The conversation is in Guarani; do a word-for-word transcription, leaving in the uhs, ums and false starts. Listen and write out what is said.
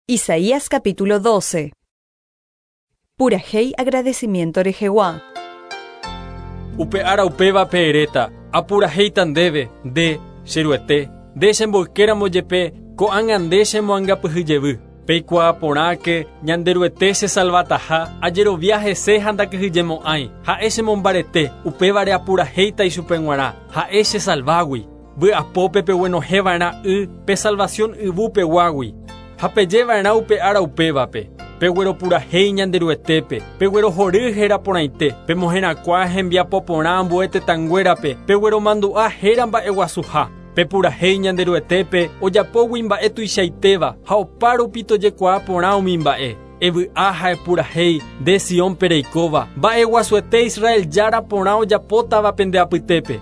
Isaías capítulo doce. Purahéi agradecimiento rehegua. Upe ára upévape eréta, apurahéita ndéve, nde, che Ruete, nde chemboykéramo jepe, ko'ág̃a nde chemoangapyhy jevy. Peikuaa porãke, Ñanderuete chesalvataha, ajerovia hese ha ndakyhyjemo'ãi, ha'e chemombarete, upévare apurahéita ichupe g̃uarã, ha'e chesalvágui. Vy'apópe peguenohẽva'erã y pe salvación yvúpeguágui. Ha pejeva'erã upe ára upévape. Pegueropurahéi Ñanderuetépe, peguerohory héra porãite, pemoherakuã hembiapo porã ambue tetãnguérape, pegueromandu'a héra mba'eguasuha. Pepurahéi Ñanderuetépe ojapógui mba'e tuichaitéva ha opárupi tojekuaa porã umi mba'e. Evy'a ha epurahéi nde Siónpe reikóva, mba'eguasuete Israel Jára porã ojapótava pende apytépe.